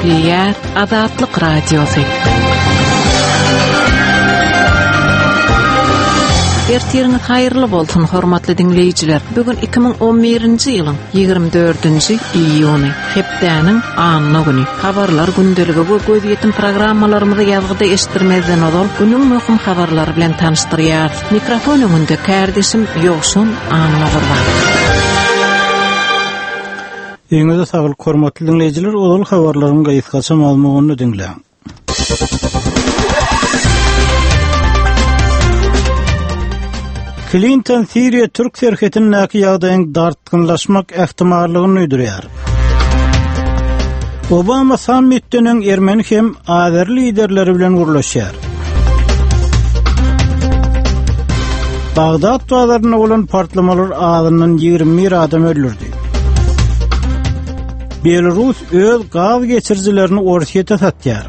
Gepleýär Azatlyk Radiosy. Ertiriňiz haýyrly bolsun, hormatly diňleýjiler. Bu gün 2011-nji ýylyň 24-nji iýuny, hepdäniň anna güni. Habarlar gündeligi we gözýetim programmalarymyzy ýazgyda eşitdirmezden ozal, günüň möhüm habarlary bilen tanyşdyrýarys. Mikrofon öňünde kärdeşim Ýowşan Annagurban. Öýüňize saglyk hormatly diňleýjiler, ozal habarlaryň gysgaça mazmunyny diňläň. Klinton Siriýa-Türk serhetindäki ýagdaýyň dartgynlaşmak ähtimallygyny duýdurýar. Obama sammitden öň ermeni hem azeri liderleri bilen gürleşýär. Bagdat bazarynda bolan partlamalar azyndan 21 adam öldürdi. Belarus öz gaz geçirijilerini Orsýete satýar.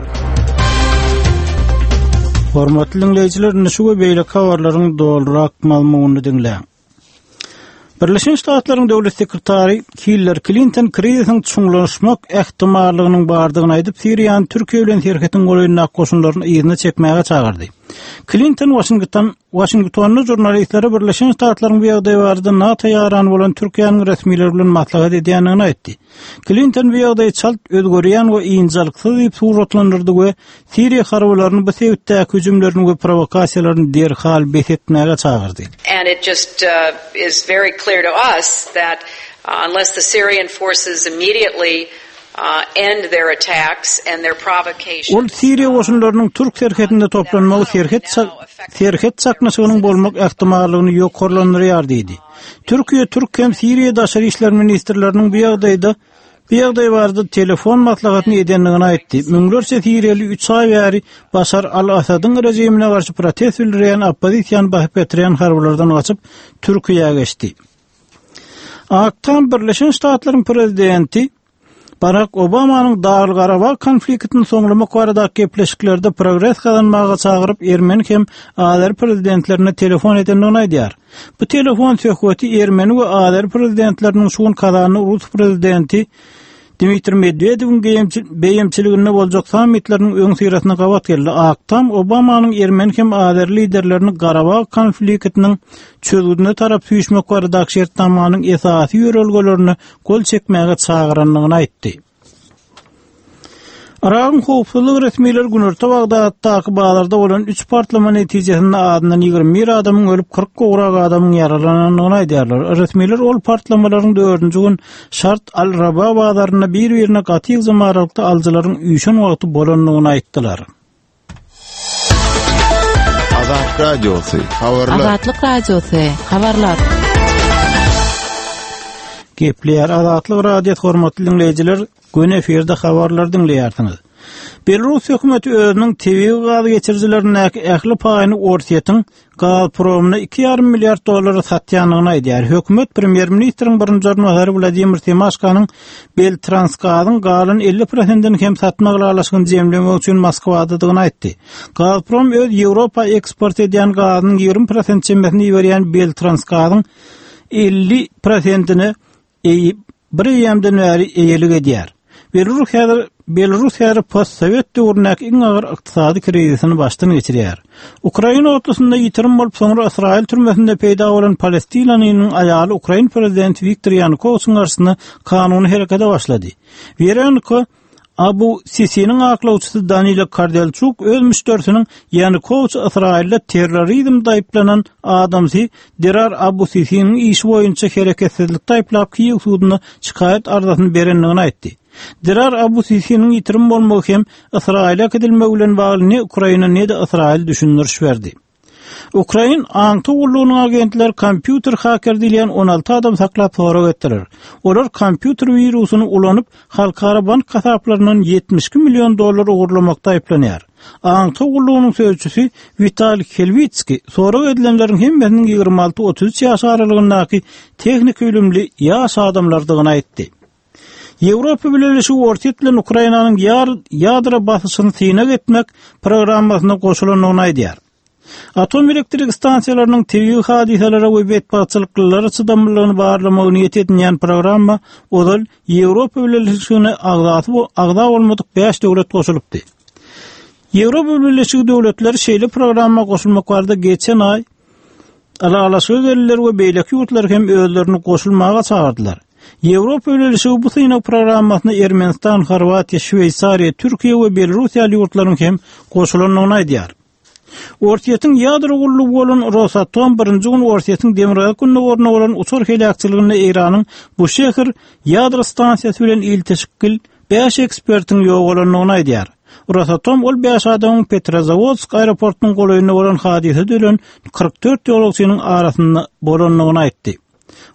Hormatly diňleýjiler, indi şu we beýleki habarlaryň dolurak mazmunyny diňläň. Birleşen Ştatlaryň döwlet sekretary Hillary Klinton krizisiň çuňlaşmak ähtimallygynyň bardygyny aýdyp, Siriýany Türkiýe bilen serhetiň golaýyndaky goşunlaryny yzyna çekmäge çagyrdy. Klinton Waşington Waşingtonda žurnalistlere Birleşen Ştatlaryň bu ýagdaý barada NATO ýarany bolan Türkiýäniň resmileri bilen maslahat edýändigini aýtdy. Klinton bu ýagdaýy çalt özgerýän we ynjalyksyz diýip suratlandyrdy we Siriýa harbylaryny bu sebitdäki hüjümlerini we prowokasiýalaryny derhal bes etmäge çagyrdy. And it just is very clear to us that unless the Syrian forces immediately end their attacks and their provocations. Ol Siriýa goşunlarynyň türk serhedinde toplanmagy serhet serhet çaknyşygynyň bolmak ähtimallygyny ýokarlandyrýar diýdi. Türkiýe türk hem Siriýa daşary işler ministrleriniň bu ýagdaýda bu ýagdaý barada telefon maslahatyny edendigini aýtdy. Müňlerçe siriýaly üç aý bäri Başar al-Asadyň režimine garşy protest bildirýän oppozisiýany basyp ýatyrýan harbylardan gaçyp, Türkiýä geçdi. Ak Tam Birleşen Ştatlaryň prezidenti Barak Obamanyň Dagly-Garabag konfliktini soňlamak baradaky gepleşiklerde progres gazanmaga çagyryp, ermeni hem azeri prezidentlerine telefon edendigini aýdýar. Bu telefon söhbeti ermeni we azeri prezidentleriniň şu gün Kazanda rus prezidenti Dmitriý Medwedewiň beýemçiliginde boljak sammitleriniň öňüsyrasynda gabat geldi. Ak Tam Obamanyň ermeni hem azeri liderlerini Garabag konfliktiniň çözgüdine tarap süýşmek baradaky şertnamanyň esasy ýörelgelerine gol çekmäge çagyrandygyny aýtdy. Yragyň howpsuzlyk resmileri günorta Bagdatdaky bazarda bolan üç partlama netijesinde azyndan 21 adamyň ölüp, 40 gowrak adamyň ýaralanandygyny aýdýarlar. Resmiler ol partlamalaryň dördünji gün Şart al-Raba bazarynda bir-birine gaty ýygjam aralykda alyjylaryň üýşen wagty bolandygyny aýtdylar. Azat Radiosy, habarlar. Azatlyk Radiosy, habarlar. Gepleýär Azatlyk Radiosy hormatly diňleýjiler, göni efirde habarlar diňleýärsiňiz. Belarus hökümeti özüniň tebigy gaz geçirijilerindäki ähli paýyny Orsýetiň Gazpromyna 2,5 milliard dollara satýandygyny aýdýar. Hökümet premýer-ministriň birinji orunbasary Wladimir Semaşkanyň Beltransgazyň galan 50 prosentini hem satmak ylalaşygyny jemlemek üçin Moskwadadygyny aýtdy. Gazprom öz Ýewropa eksport edýän gazynyň 20 prosent çemesini iberýän Beltransgazyň 50 prosentine Eý, bir eýýämden bäri eýelik edýär. Belarus häzir Belarus häzir postsowet döwründäki iň agyr ykdysady krizisini başdan geçirýär. Ukraina otlusynda ýitirim bolup, soňra Ysraýyl türmesinde peýda bolan palestinalynyň aýaly ukrain prezidenti Wiktor Ýanukowiçiň garşysyna kanuny herekete başlady. Weronika Abu Sisiniň aklawçysy Danilo Kardelçuk öz müşderisiniň Ýanukowiç Ysraýylda terrorizmde aýyplanan adamsy Dirar Abu Sisiniň işi boýunça hereketsizlikde aýyplap Kiýew suduna şikaýat arzasyny berendigini aýtdy. Dirar Abu Sisiniň ýitirim bolmagy hem Ysraýyla äkidilmegi bilen bagly ne Ukraina ne-de Ysraýyl düşündiriş berdi. Ukrain aňtaw gullugynyň agentleri kompýuter haker diýilýän 16 adam saklap sorag etdiler. Olar kompýuter wirusyny ulanyp, halkara bank hasaplaryndan 72 million dollar ogurlamakda aýyplanýar. Aňtaw gullugynyň sözçüsi Witaliý Helwitskiý sorag edilenleriň hemmesiniň 26-33 ýaş aralygyndaky tehniki bilimli ýaş adamlardygyny aýtdy. Ýewropa Bileleşigi Orsýet bilen Ukrainanyň ýadro basyşyny synag etmek programmasyna goşulandygyny aýdýar. Atom elektrik stansiýalarynyň tebigy hadysalara we betbagtçylyklylara çydamlylygyny barlamagy niýet edinýän programma ozal Ýewropa Bileleşigine agzasy agza bolmadyk bäş döwlet goşulypdy. Ýewropa Bileleşigi döwletleri şeýle programma goşulmak barada geçen aý ylalaşyga geldiler we beýleki ýurtlary hem özlerini goşulmaga çagyrdylar. Ýewropa Bileleşigi bu synag programmasyna Ermenistan, Horwatiýa, Şweýsariýa, Türkiýe we Belarus ýaly ýurtlaryň hem goşulandygyny aýdýar. Orsýetiň ýadro gullugy bolan Rosatom birinji gün Orsýetiň demirgazyk-gündogarynda bolan uçar heläkçiliginde Eýranyň Buşehr ýadro stansiýasy bilen ilteşikli bäş ekspertiň ýogalandygyny aýdýar. Rosatom ol bäş adamyň Petrozawodsk aeroportunyň golaýynda bolan hadysada ölen 44 ýolagçynyň arasynda bolandygyny aýtdy.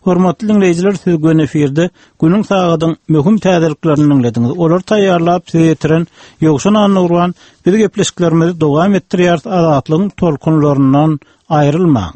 Hormatly diňleýjiler, siz göni efirde günüň sagadyň möhüm täzeliklerini diňlediňiz. Olary taýýarlap size ýetiren Ýowşan Annagurban. Biz gepleşiklerimizi dowam etdirýäris. Azatlygyň tolkunlaryndan aýrylmaň.